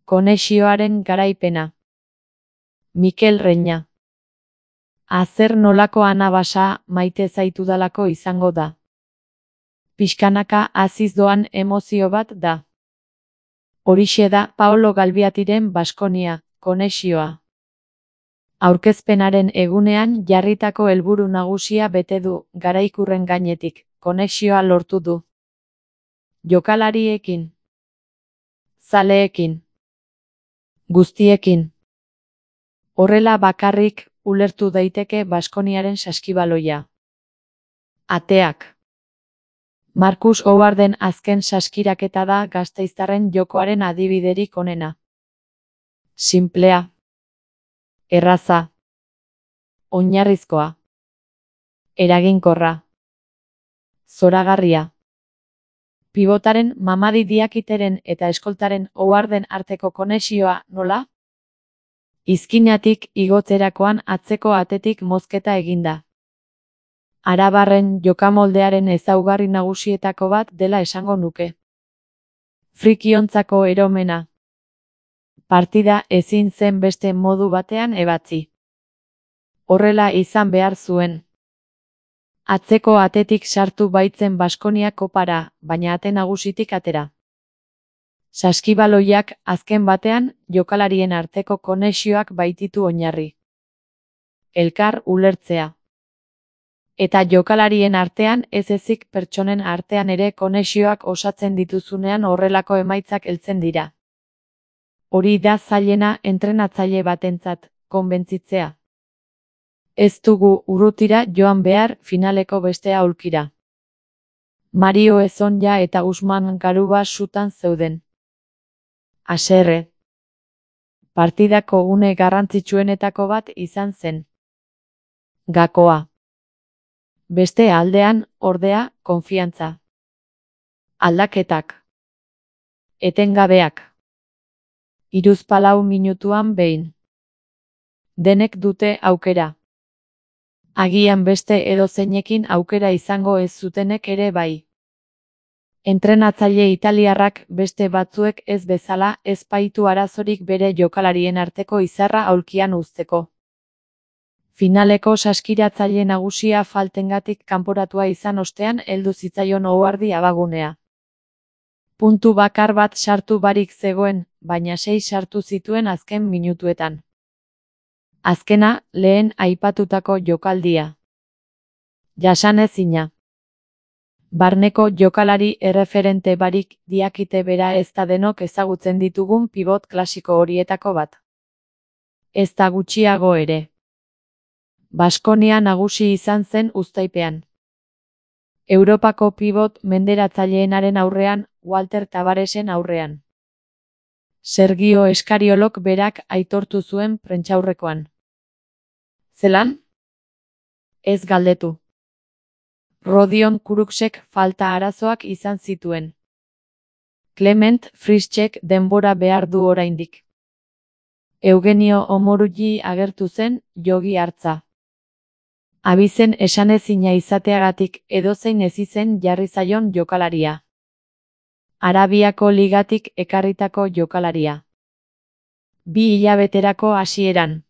Konexioaren garaipena. Mikel Reña. Zer nolako anabasa maite zaitudalako izango da. Pixkanaka haziz doan emozio bat da. Horixe da Paolo Galbiatiren Baskonia, konexioa. Aurkezpenaren egunean jarritako helburu nagusia bete du, garaikurren gainetik, konexioa lortu du. Jokalariekin. Zaleekin. Guztiekin. Horrela bakarrik ulertu daiteke Baskoniaren saskibaloia. Ateak. Marcus Howarden azken saskiraketa da gasteiztarren jokoaren adibiderik onena. Sinplea. Erraza. Oinarrizkoa. Eraginkorra. Zoragarria. Pibotaren Mamadi Diakiteren eta eskoltaren Howarden arteko konexioa nola? Izkinatik igotzerakoan atzeko atetik mozketa eginda. Arabarren jokamoldearen ezaugarri nagusietako bat dela esango nuke. Frikiontzako eromena. Partida ezin zen beste modu batean ebatzi. Horrela izan behar zuen. Atzeko atetik sartu baitzen Baskonia kopara, baina ate nagusitik atera. Saskibaloiak azken batean jokalarien arteko konexioak baititu oinarri. Elkar ulertzea. Eta jokalarien artean ez ezik pertsonen artean ere konexioak osatzen dituzunean horrelako emaitzak heltzen dira. Hori da zailena entrenatzaile batentzat, konbentzitzea. Ez dugu urrutira joan behar finaleko beste aulkira. Mario Ezonja eta Usman Garuba sutan zeuden. Haserre. Partidako une garrantzitsuenetako bat izan zen. Gakoa. Beste aldean, ordea, konfiantza. Aldaketak. Etengabeak. hiruzpalau minutuan behin. Denek dute aukera. Agian beste edozeinekin aukera izango ez zutenek ere bai. Entrenatzaile italiarrak beste batzuek ez bezala ez baitu arazorik bere jokalarien arteko izarra aulkian uzteko. Finaleko saskiratzaile nagusia faltengatik kanporatua izan ostean heldu zitzaion Howardi abagunea. Puntu bakar bat sartu barik zegoen, baina 6 sartu zituen azken minutuetan. Azkena, lehen aipatutako jokaldia. Jasanezina. Barneko jokalari erreferente barik Diakite bera ez da denok ezagutzen ditugun pibot klasiko horietako bat. Ez da gutxiago ere. Baskonia nagusi izan zen uztaipean. Europako pibot menderatzaileenaren aurrean, Walter Tabaresen aurrean. Sergio Eskariolok berak aitortu zuen prentsaurrekoan. Zelan? Ez galdetu. Rodion Kuruksek falta arazoak izan zituen. Clement Frischek denbora behar du oraindik. Eugenio Omorugi agertu zen, jogi hartza. Abizen esanezina izateagatik edozein ezizen jarri zaion jokalaria. Arabiako ligatik ekarritako jokalaria. 2 hilabeterako hasieran.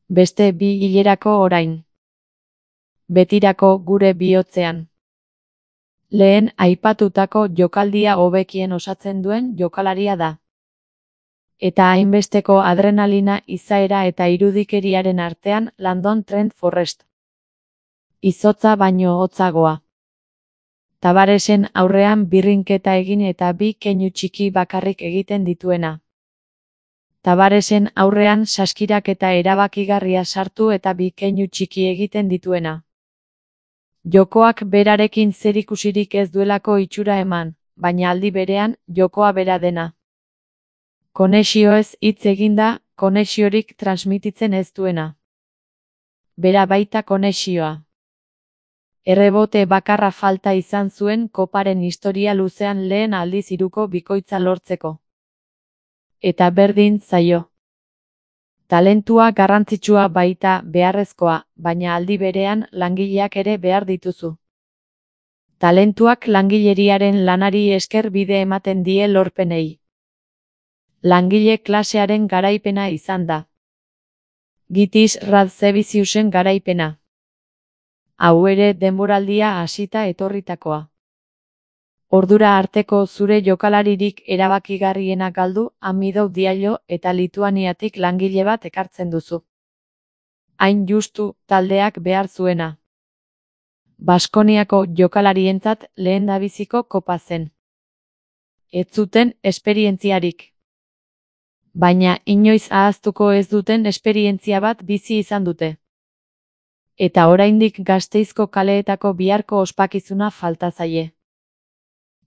Beste 2 hilerako orain. Betirako gure bihotzean. Lehen aipatutako jokaldia hobekien osatzen duen jokalaria da. Eta hainbesteko adrenalina izaera eta irudikeriaren artean Landon Trent Forrest. Izotza baino hotzagoa. Tabaresen aurrean birrinketa egin eta 2 keinu txiki bakarrik egiten dituena. Tabaresen aurrean saskiraketa erabakigarria sartu eta 2 keinu txiki egiten dituena. Jokoak berarekin zerikusirik ez duelako itxura eman, baina aldi berean, jokoa bera dena. Konexioez hitz eginda, konexiorik transmititzen ez duena. Bera baita konexioa. Errebote bakarra falta izan zuen koparen historia luzean lehen aldiz hiruko bikoitza lortzeko. Eta berdin zaio. Talentua garrantzitsua baita beharrezkoa, baina aldi berean langileak ere behar dituzu. Talentuak langileriaren lanari esker bide ematen die lorpenei. Langile klasearen garaipena izan da. Gitis Radzeviciusen garaipena. Hau ere denboraldia hasita etorritakoa. Ordura arteko zure jokalaririk erabakigarriena galdu, Amidou Diallo eta Lituaniatik langile bat ekartzen duzu. Hain justu, taldeak behar zuena. Baskoniako jokalarientzat lehendabiziko kopa zen. Ez zuten esperientziarik. Baina inoiz ahaztuko ez duten esperientzia bat bizi izan dute. Eta oraindik Gasteizko kaleetako biharko ospakizuna falta zaie.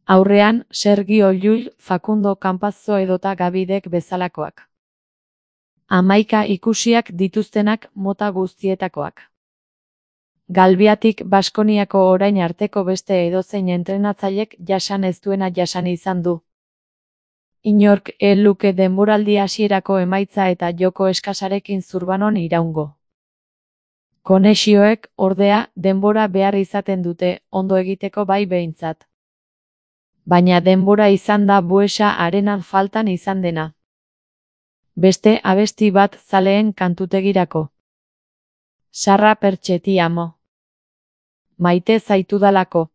Aurrean, Sergio Llull, Facundo Campazzo edota Gabidek bezalakoak. 11 ikusiak dituztenak mota guztietakoak. Galbiatik Baskoniako orain arteko beste edozein entrenatzailek jasan ez duena jasan izan du. Inork ez luke denboraldi hasierako emaitza eta joko eskasarekin Zurbanon iraungo. Konexioek, ordea, denbora behar izaten dute, ondo egiteko bai behintzat. Baina denbora izan da Buesa arenan faltan izan dena. Beste abesti bat zaleen kantutegirako. Sarra pertxe ti amo. Maite zaitudalako.